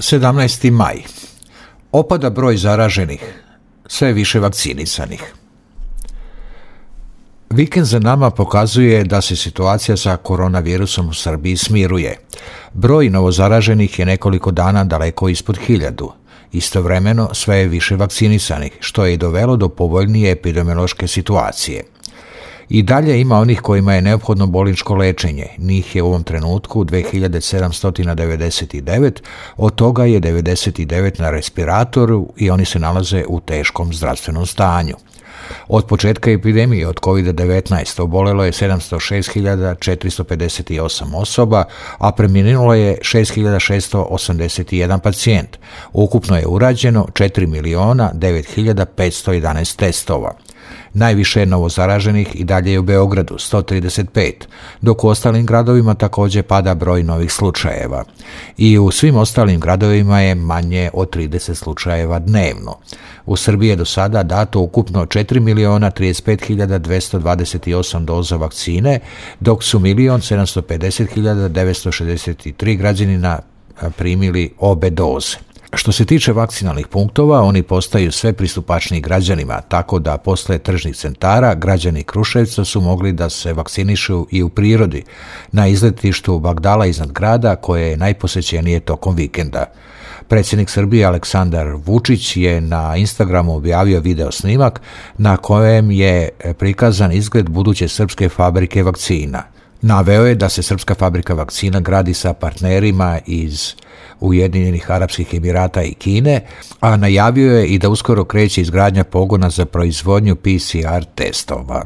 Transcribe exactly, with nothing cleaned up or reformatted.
sedamnaesti maj. Opada broj zaraženih, sve više vakcinisanih. Vikend za nama pokazuje da se situacija sa koronavirusom u Srbiji smiruje. Broj novozaraženih je nekoliko dana daleko ispod hiljadu. Istovremeno sve je više vakcinisanih, što je i dovelo do povoljnije epidemiološke situacije. I dalje ima onih kojima je neophodno bolničko lečenje. Njih je u ovom trenutku dve hiljade sedamsto devedeset devet, od toga je devedeset devet na respiratoru i oni se nalaze u teškom zdravstvenom stanju. Od početka epidemije od kovid devetnaest obolelo je sedamsto šest hiljada četiristo pedeset osam osoba, a preminulo je šest hiljada šessto osamdeset jedan pacijent. Ukupno je urađeno četiri miliona devet hiljada petsto jedanaest testova. Najviše novozaraženih i dalje je u Beogradu, sto trideset pet, dok u ostalim gradovima također pada broj novih slučajeva. I u svim ostalim gradovima je manje od trideset slučajeva dnevno. U Srbiji je do sada dato ukupno četiri miliona trideset pet hiljada dvesta dvadeset osam doza vakcine, dok su milion sedamsto pedeset hiljada devetsto šezdeset tri građanina primili obe doze. Što se tiče vakcinalnih punktova, oni postaju sve pristupačniji građanima, tako da posle tržnih centara građani Kruševca su mogli da se vakcinišu i u prirodi, na izletištu Bagdala iznad grada, koje je najposećenije tokom vikenda. Predsjednik Srbije Aleksandar Vučić je na Instagramu objavio video snimak na kojem je prikazan izgled buduće srpske fabrike vakcina. Naveo je da se srpska fabrika vakcina gradi sa partnerima iz Ujedinjenih Arapskih Emirata i Kine, a najavio je i da uskoro kreće izgradnja pogona za proizvodnju P C R testova.